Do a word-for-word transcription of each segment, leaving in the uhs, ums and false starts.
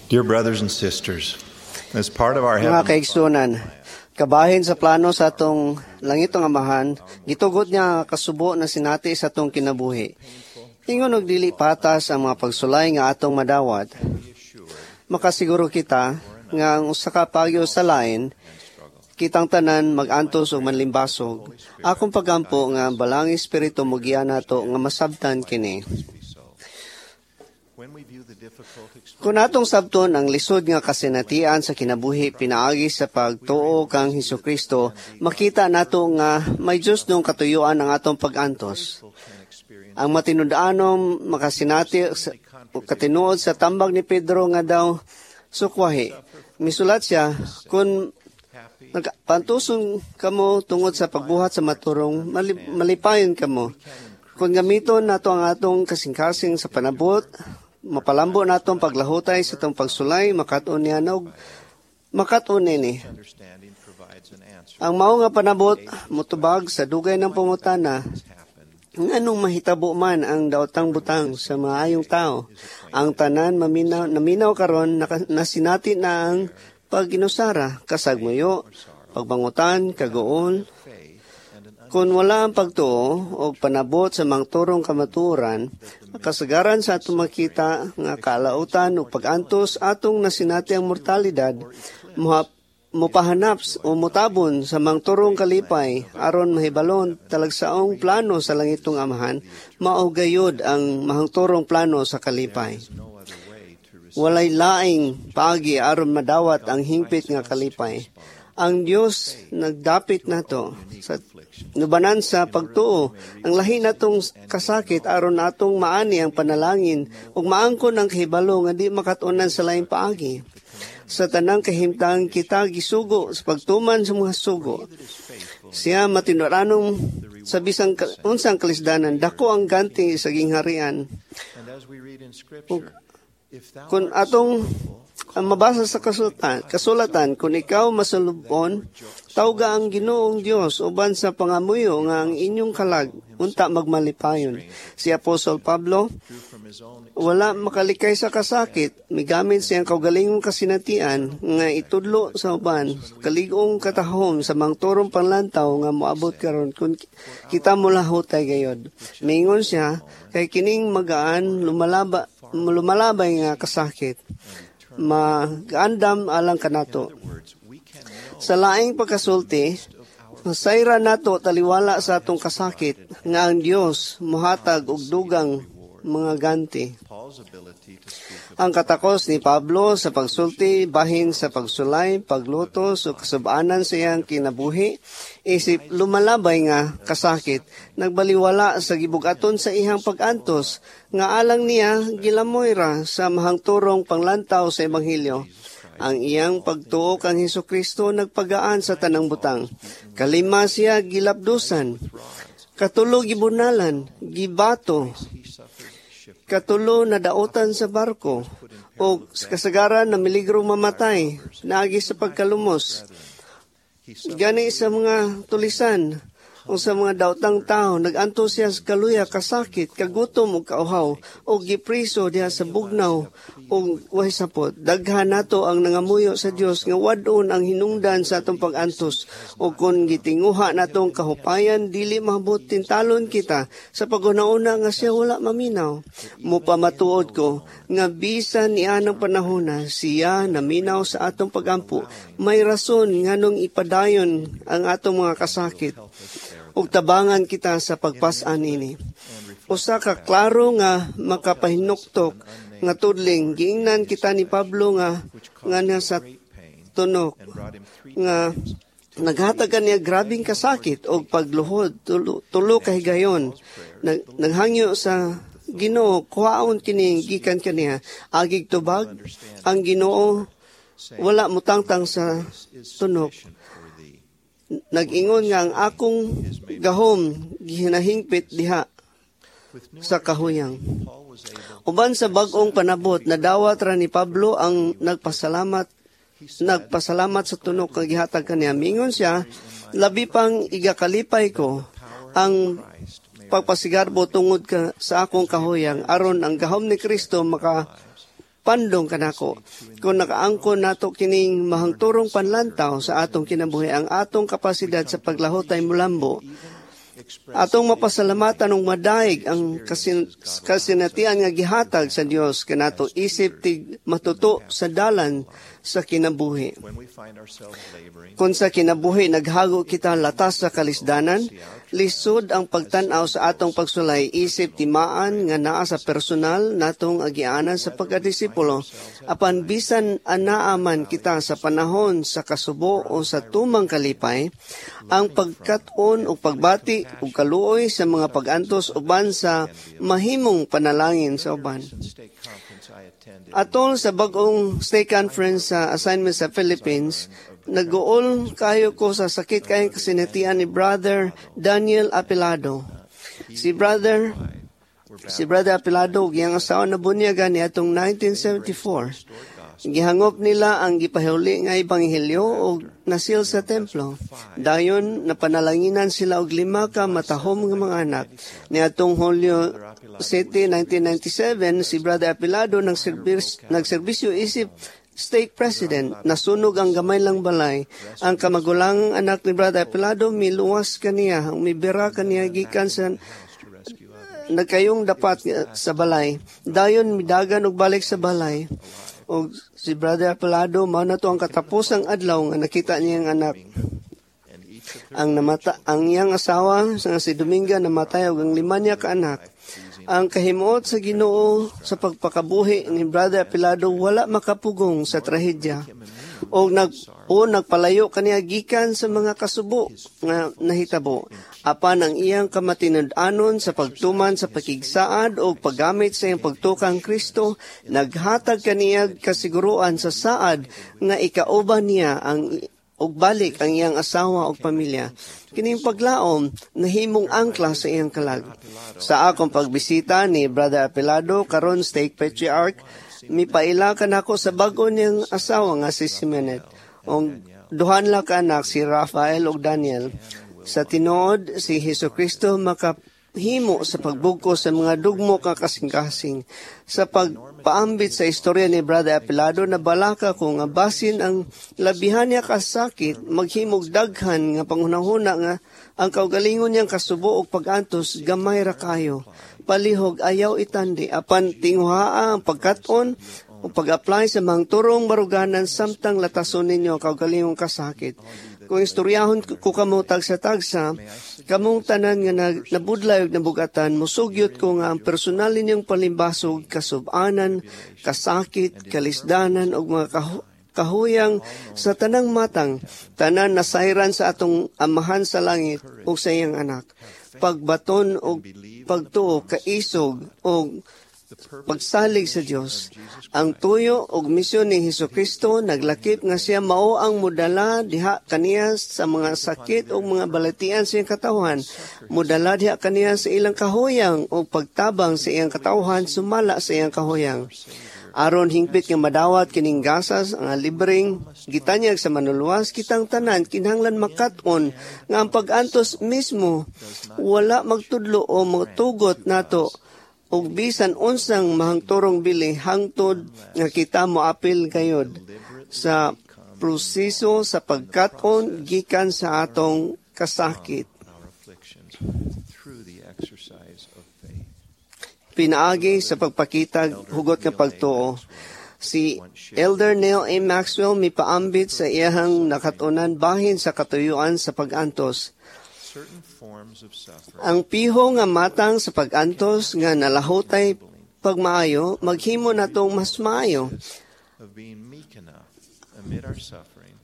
Dear brothers and sisters, as part of our Mga heavenly kaigsunan, kabahin sa plano sa atong langitong Amahan, gitugot niya ang kasubo na sinati sa atong kinabuhi. Ingon og dili patas ang mga pagsulay nga atong madawat. Makasiguro kita nga ang usa ka pagyo sa lain, kitang tanan magantos og manlimbasog. Akong pagampo nga ang Balaang Espiritu mogiya nato nga masabtan kini. When we view the difficult experience Kung atong sabton ang lisod nga kasinatian sa kinabuhi pinaagi sa pagtuo kang Hesus Kristo, makita nato nga may Dios nung katuyuan ang atong pag-antos. can experience Ang matinud-anong makasinati sa, katinuod sa tambag ni Pedro nga daw sukwahi. Misulat siya, kung happy nagpantuson kamo tungod sa pagbuhat sa maturong, mali, malipayon kamo. Kung gamiton nato ang atong kasing-kasing sa panabot, mapalambo nato ang paglahutay sa atong pagsulay, makat-on niya og makat-on nini. understanding provides an answer. Ang mao nga panabot mutubag sa dugay ng pangutana Happen nganong mahitabo man ang daotang butang sa maayong tao. Ang tanan maminaw, naminaw karon naka, nasinati na ang pagginusara, kasagmuyo, pagbangutan, kaguol. faith and an Kung wala ang pagtuo o panabot sa mangturong kamatuoran, kasagaran sa atong makita nga kalautan o pag-antos atong nasinati ang mortalidad, muha, mupahanap o mutabon sa mangturong kalipay aron mahibalon talagsaong plano sa langitong Amahan, mao gayud ang mahangturong plano sa kalipay. no other way to receive Walay laing paagi aron madawat ang hingpit nga kalipay. Ang Dios nagdapit nato sa nubanan sa pagtuo ang lahi natong kasakit aron atong maani ang panalangin ug maangkon ang kahibalo nga di makat-onan sa laing paagi. Sa tanang kahimtang kita gisugo sa pagtuman sa mga sugo. Siya matinud-anong sa bisang unsang kalisdanan dako ang ganti sa gingharian. And as we read in Scripture, if thou Kung art atong ang mabasa sa kasulatan, kasulatan kung ikaw masulubon, tawga ang Ginoong Dios uban sa pangamuyo nga ang inyong kalag unta magmalipayon. Si Apostol Pablo drew from his own wala makalikay sa kasakit, migamit siyang kaugalingong kasinatian nga itudlo sa uban, kalig-ong katahom sa mangturong panlantaw nga moabot karon kung kita molahutay gayod. Mingon siya kay kining magaan lumalaba lumalabay nga kasakit magaandam alang kanato. words, we can know Sa laing pagkasulti, sayra nato taliwala sa atong kasakit nga ang Dios mohatag og dugang mga ganti. Paul's ability to speak of Ang katakos ni Pablo sa pagsulti bahin sa pagsulay, paglutos o kasab-anan sa iyang kinabuhi, isip lumalabay nga kasakit, nagbaliwala sa gibugaton sa iyang pag-antos, nga alang niya gilamoy ra sa mahangturong panglantaw sa Ebanghelyo. Ang iyang pagtuo kang Hesus Kristo nagpagaan sa tanang butang. Kalima siya gilapdusan, katulo gibunalan, gibato, he suffered shipwreck, katulo na daotan sa barko o sa kasagaran na miligro mamatay naagi sa pagkalumos. he suffered Gani sa mga tulisan o sa mga daotang tao, nag-antos siya sa kaluya, kasakit, kagutom ug kauhaw, o gipriso diha sa bugnaw o way sapot. Daghan nato ang nangamuyo sa Dios nga wad-on ang hinungdan sa atong pag-antos o kung gitinguha natong kahupayan dili maabot tintalon kita sa paghuna-una nga siya wala maminaw. Mupamatuod ko nga bisan nianang panahona siya naminaw sa atong pagampo. May rason nganong ipadayon ang atong mga kasakit ug tabangan kita sa pagpas-an ini. Usa ka klaro nga makapahinuktok nga tudling giingnan kita ni Pablo nga nga nasa great pain tunok and brought him three nga naghatag niya grabing kasakit og pagluhod tulo, tulo ka higayon Nag, naghangyo sa Ginoo kuhaon kini gikan kaniya agig tubag ang Ginoo wala mutangtang sa is tunok sufficient for thee. nag-ingon nga ang akong gahom gihinahingpit diha With new sa kahuyang. Paul was able Uban sa bag-ong panabot nadawat ra ni Pablo ang nagpasalamat nagpasalamat sa tunok nga gihatag kaniya. Mingon siya, labi pang igakalipay ko ang Christ may pagpasigarbo tungod ka sa akong kahuyang aron ang gahom ni Kristo maka pandong kanako. Kung nakaangkon nato kining mahangturong panlantaw sa atong kinabuhi, ang atong kapasidad sa paglahutay mulambo. Atong mapasalamatan og madaig ang kasin, kasinatian nga gihatag sa Dios kanato isip tig matuto sa dalan sa kinabuhi. When we find ourselves laboring, Kung sa kinabuhi naghago kita latas sa kalisdanan, lisod ang pagtan-aw sa atong pagsulay isip timaan nga naa sa personal natong agianan sa pagkadisipulo. Apan bisan anaa man kita sa panahon sa kasubo o sa tumang kalipay, ang pagkat-on o pagbati ug kaluoy sa mga pag-antos uban sa mahimong panalangin sa uban. Recent stake conference I attended, Atol sa bag-ong stake conference sa assignment sa Philippines, nag-uol kayo ko sa sakit kayong kasinatian ni Brother Daniel Apelado. Si Brother si Brother Apelado ug iyang asawa nabunyagan niadtong nineteen seventy-four. Gihangop nila ang gipahuli nga ebanghelyo ug nasil sa templo. Dayon napanalanginan sila og lima ka matahom nga mga anak. Niadtong Hulyo siyete, nineteen ninety-seven, si Brother Apelado nagserbis, nagserbisyo isip stake president. Nasunog ang gamay lang balay. Ang kamagulang anak ni Brother Apelado miluwas kaniya, mibira kaniya gikan sa to rescue others. Nagkayong dapat sa balay. Dayon midagan og balik sa balay. Og si Brother Apelado, mao na to ang katapusang adlaw nga nakita niya ang anak. And each of their Ang namata ang iyang asawa nga si Dominga namatay ug ang lima niya ka anak. Ang kahimuot sa Ginoo sa pagpakabuhi ni Brother Apelado wala makapugong sa trahedya. O nag o nagpalayo kaniya gikan sa mga kasubo nga nahitabo. Apan ang iyang kamatinud-anon sa pagtuman sa pakigsaad o paggamit sa iyang pagtuo kang Kristo naghatag kaniya kasiguruan sa saad nga ikauban niya ang og balik ang iyang asawa ug pamilya. Kining paglaom nahimong angkla sa iyang kalag. Sa akong pagbisita ni Brother Apelado karon stake patriarch, mipaila kanako sa bag-o niyang asawa nga si Simenet. Og duhan lang ka anak, si Rafael ug Daniel. Sa tinuod, si Hesus Kristo makahimo sa pagbugkos sa mga dugmok nga kasing-kasing. Sa pagpaambit sa istorya ni Brother Apelado, nabalaka ko nga basin ang labihan niya kasakit maghimog daghan nga panghunahuna nga ang kaugalingon niyang kasubo og pag-antos gamay ra kayo. Palihog ayaw itandi, apan tinguhaa ang pagkat-on o pag-apply sa mga turong baruganan samtang latason ninyo ang kaugalingong kasakit. Kung istoryahon ko kamo tagsa-tagsa, kamong tanan nga nag- nabudlay ug nabugatan, musugyot ko nga ang personal ninyong palimbasog, kasubanan, kasakit, kalisdanan ug mga kahu- kahuyang sa tanang matang, tanan nasayran sa atong Amahan sa langit ug sa iyang Anak. Pagbaton og pagtuo, kaisog og pagsalig sa Dios. Ang tuyo og misyon ni Hesus Kristo naglakip nga siya mao ang modala diha kaniya sa mga sakit o mga balatian sa iyang katawhan. Modala diha kaniya sa ilang kahuyang o pagtabang sa iyang katawhan sumala sa iyang kahuyang. Aron hingpit nga madawat kining gasas nga libreng gitanyag sa Manluluwas, kitang tanan kinahanglan makat-on nga ang pag-antos mismo wala magtudlo o magtugot nato og bisan unsang mahangturong bili hangtod nga kita moapil gayod sa proseso sa pagkat-on gikan sa atong kasakit our afflictions through the exercise of faith. Pinaagi sa pagpakita hugot nga pagtuo. Si Elder Neil A. Maxwell mipaambit sa iyahang nakatunan bahin sa katuyuan sa pag-antos. Certain forms of suffering Ang piho nga matang sa pag-antos nga nalahutay pagmaayo, maghimo natong mas maayo. Of being meek enough amid our suffering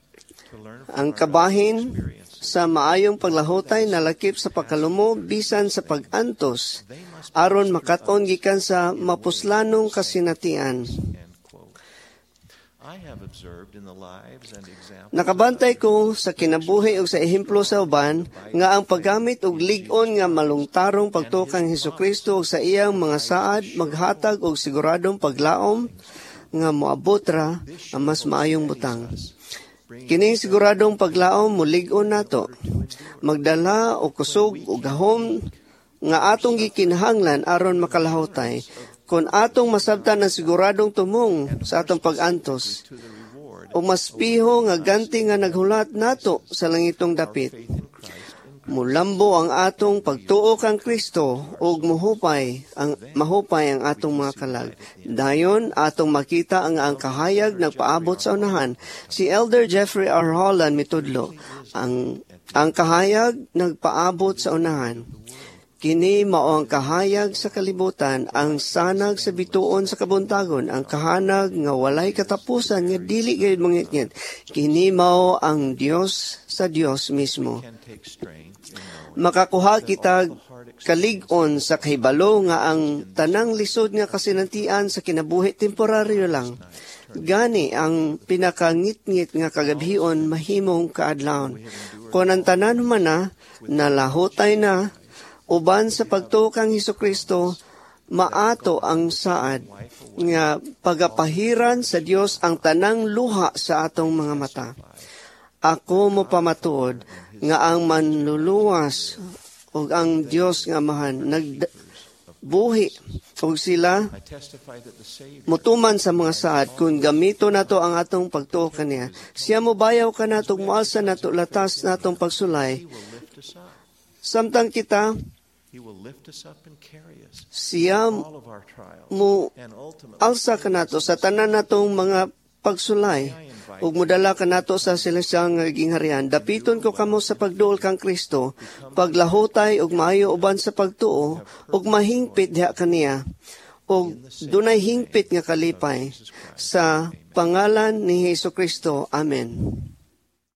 to learn from Ang our kabahin experiences. Sa maayong paglahutay nalakip sa pagkalumo bisan sa pag-antos aron makat-on gikan sa mapuslanong kasinatian. End quote. I have observed in the lives and examples Nakabantay ko sa kinabuhi ug sa ehemplo sa uban nga ang paggamit og lig-on nga malungtarong pagtuo kang Hesukristo ug sa iyang mga saad maghatag og siguradong paglaom nga moabot ra ang mas maayong butang. Kining siguradong paglaom molig-on nato. Magdala og kusog ug gahom nga atong gikinahanglan aron makalahutay. Kung atong masabtan ang siguradong tumong sa atong pag-antos, to the reward o mas piho nga ganti nga naghulat nato sa langitong dapit. faith in Christ in Mulambo ang atong pagtuo kang Kristo ug muhupay ang mahupay ang atong mga kalag. Dayon atong makita ang ang kahayag nagpaabot sa unahan. Si Elder Jeffrey R. Holland mitudlo ang ang kahayag nagpaabot sa unahan. Kini mao ang kahayag sa kalibutan, ang sanag sa bituon sa kabuntagon, ang kahanag nga walay katapusan nga dili gayud mangitngit. Kini mao ang Dios sa Dios mismo can take strength in knowing makakuha kita kalig-on sa kahibalo nga ang tanang lisod nga kasinatian sa kinabuhi temporaryo lang. Gani ang pinakangitngit nga kagabhion mahimong kaadlawon. Kung ang tanan man na, nalahutay na, uban sa pagtuo kang Hesus Kristo, maato ang saad nga pagapahiran sa Dios ang tanang luha sa atong mga mata. Ako mo pamatuod nga ang manluluwas ug ang Dios nga Amahan nagbuhi ug sila I testify that the Savior mutuman sa mga saad kung gamito nato ang atong pagtuo kaniya. Siya mobayaw kanato ug moalsa nato latas natong pagsulay. He will lift us up. Samtang kita He will lift us up and carry us siya all of our trials mo and ultimately alsa kanato sa tanan natong mga pagsulay ug modala kanato sa celestial nga gingharian. Dapiton ko kamo sa pagduol kang Kristo, paglahutay ug maayo uban sa pagtuo ug mahingpit diha kaniya ug dunay hingpit nga kalipay sa pangalan ni Hesus Kristo. Amen.